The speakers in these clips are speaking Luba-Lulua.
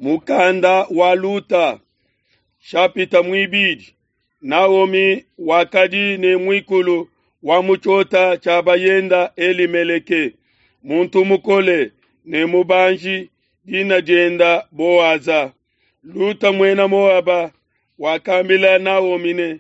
Mukanda wa Luta shapita muibidi. Naomi wakadi ne muikulu wa mu tshiota tshia bayenda Elimeleke, muntu mukole ne mubanji, dina dienda Boaza. Luta muena Moaba wakambila Naomi ne,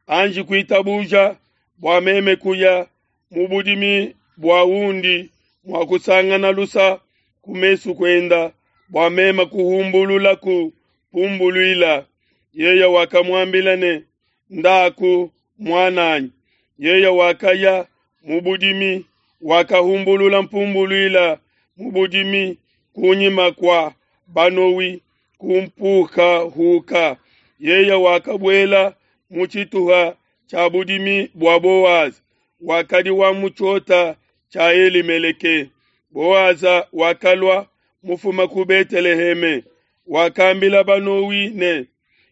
anji kuitabuja bua meme kuya mu budimi bua undi mua kusangana lusa ku mesu kuenda bua meme kuhumbululaku pumbuluila. Yeye wakamuambila ne, ndaku muananyi. Yeye wakaya mu budimi, wakahumbulula mpumbuluila mu budimi kunyima kua banowi kumpukahuka. Yeye wakabuela mu tshituha tshia budimi bua Boaza, wakadi wa mu tshiota tshia Elimeleke. Boaza wakalua mufuma ku Beteleheme, wakambila banowi ne,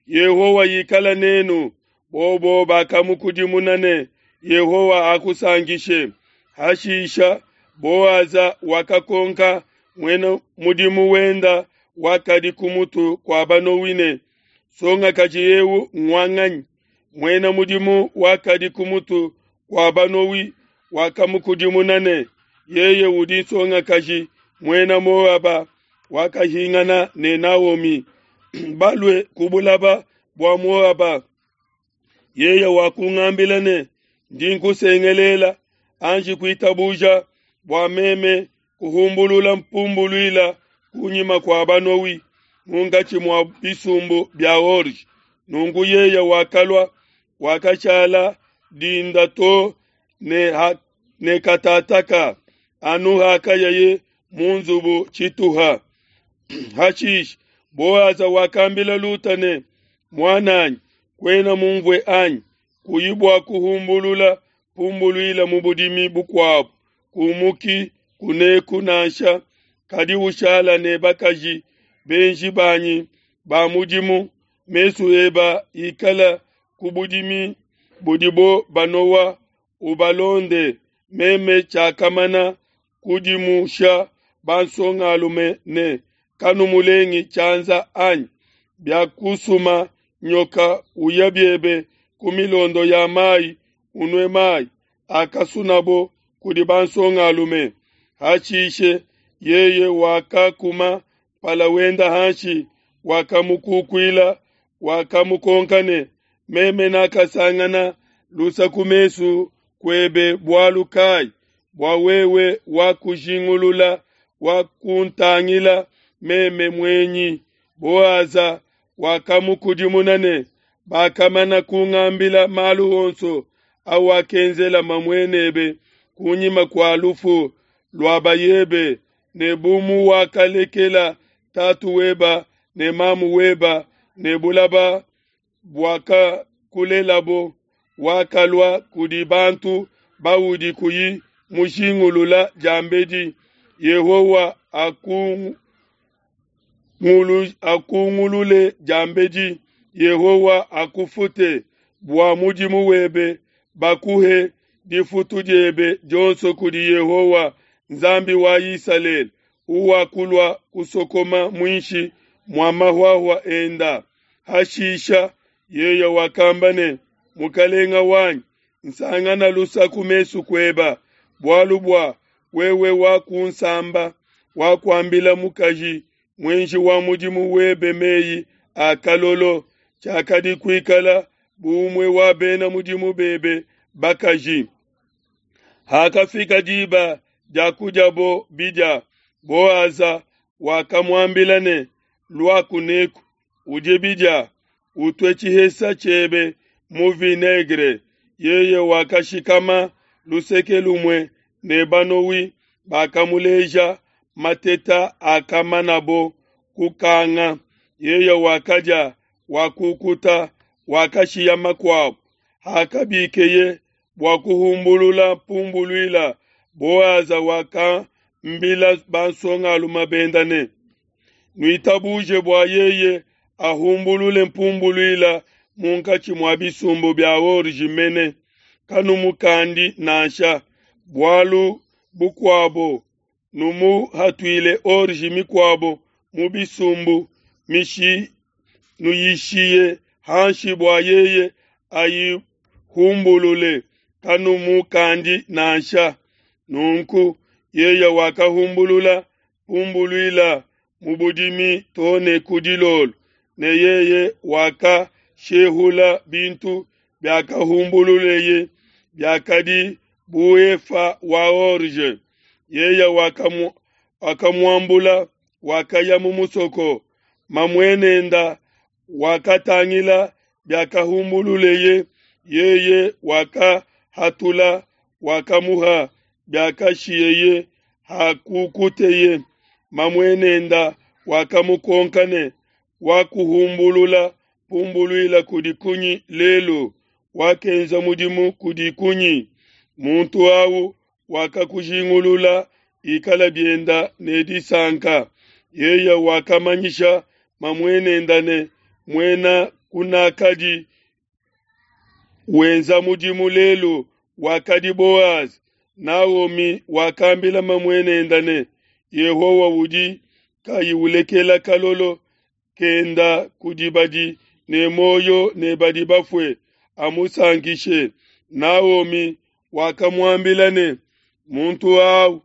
Yehowa ikala nenu. Bobo bakamukudimuna ne, Yehowa akusankishe. Hashisha Boaza wakakonka muena mudimu wenda wakadi ku mutu kua banowi ne, Songakaji eu ngwanganyi? Muena mudimu wakadi ku mutu kua banowi wakamukudimuna ne, Yeye udi nsongakaji muena Moaba wakahingana ne Naomi balue ku bulaba bua Moaba. Yeye wakungambila ne, ndi nkusengelela, anji kuitabuja bua meme kuhumbulula mpumbuluila kunyima kua banowi munkatshi mua bisumbu bia orge. Nunku yeye wakalua, wakashala dinda to ne katataka anu hakayaye mu nzubu tshituha. Hashishe Boaza wakambila Luta ne, muananyi, kuena mumvue anyi? Kuyi bua kuhumbulula pumbuluila mu budimi bukuabu, kumuki kuneku nansha, kadi ushala ne bakaji benji banyi ba mudimu, mesu eba ikala ku budimi budibo banowa, ubalonde. Meme tshiakamana kudimusha bansongalume ne, kanumulengi tshianza anyi? Biakusuma nyoka, uya biebe ku milondo ya mai, unue mai akasunabo kudi bansongalume. Hashishe yeye wakakuma mpala wenda hanshi, wakamukukuila, wakamukonka ne, meme nakasangana lusa ku mesu kuebe bualu kai, bua wewe wakujingulula, wakuntangila meme muenyi? Boaza wakamukudimuna ne, bakamana kungambila malu onso awakenzela mamuenebe kunyima kua lufu lua bayebe, ne bu muwakalekela tatu weba ne mamu weba ne bulaba buakakulelabo, wakalua kudi bantu baudi kuyi mujingulula diambedi. Yehowa akungulule diambedi, Yehowa akufute bua mudimu webe, bakuhe difutu diebe dionso kudi Yehowa Nzambi wa Isalele, uwakulua kusokoma muinshi mua mahuahua enda. Hashisha yeye wakamba ne, mukalenga wanyi, nsangana lusa ku mesu kueba, bualu bua wewe wakunsamba, wakuambila mukaji muenji wa mudimu webe meyi a kalolo, tshiakadi kuikala bu umue wa bena mudimu bebe bakaji. Hakafika diba dia kudiabo bidia, Boaza wakamuambila ne, lua kuneku, udie bidia, utue tshihesa tshiebe mu vinaigre. Yeye wakashikama luseke lumue ne banowi bakamuleja mateta akamanabo kukanga. Yeye wakadia, wakukuta, wakashiya makuabu. Hakabikeye bua kuhumbulula pumbuluila, Boaza wakambila bansongalume benda ne, nuitabuje bua yeye ahumbulule mpumbuluila munkatshi mua bisumbu bia orge mene, kanumukandi nansha. Bualu bukuabo, numuhatuile orge mikuabo mu bisumbu. Nuyishiye hanshi bua yeye ayihumbulule, kanumukandi nansha. Nunku yeye wakahumbulula mpumbuluila mu budimi to ne ku dilolo, ne yeye wakashehula bintu biakahumbululeye biakadi bu epha wa orge. Yeye wakamuambula, wakaya mu musoko. Mamuenenda wakatangila biakahumbululeye, yeye wakahatula, wakamuha biakashiyeye hakukuteye. Mamuenenda wakamukonka ne, wakuhumbulula pumbuluila kudi kunyi lelu? Wakenza mudimu kudi kunyi? Muntu awu wakakujingulula ikala bienda ne disanka. Yeye wakamanyisha mamuenenda ne, muena kunakadi wenza mudimu lelu wakadi Boazi. Naomi wakambila mamuenenda ne, Yehowa udi kayi ulekela kalolo kenda kudi badi ne muoyo ne badi bafue, amusankishe. Naomi wakamuambila ne, muntu awu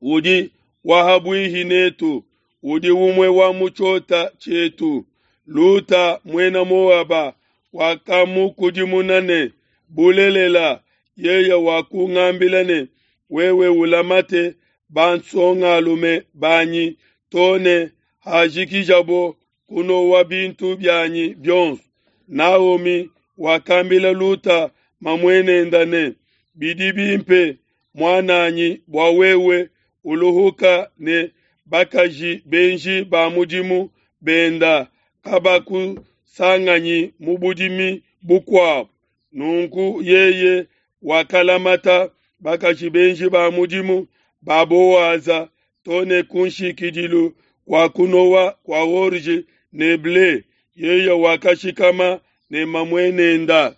udi wahabuihi netu, udi umue wa mu tshiota tshietu. Luta muena Moaba wakamukudimuna ne, bulelela, yeye wakungambila ne, wewe ulamate bansongalume banyi to ne hajikijabo kunowa bintu bianyi bionso. Naomi wakambila Luta mamuenenda ne, bidi bimpe muananyi bua wewe uluhuka ne bakaji benji ba mudimu benda kabakusanganyi mu budimi bukuabu. Nunku yeye wakalamata bakaji benji ba mudimu ba Boaza to ne ku nshikidilu kua kunowa kua orge ne ble. Yeye wakashikama ne mamuenenda.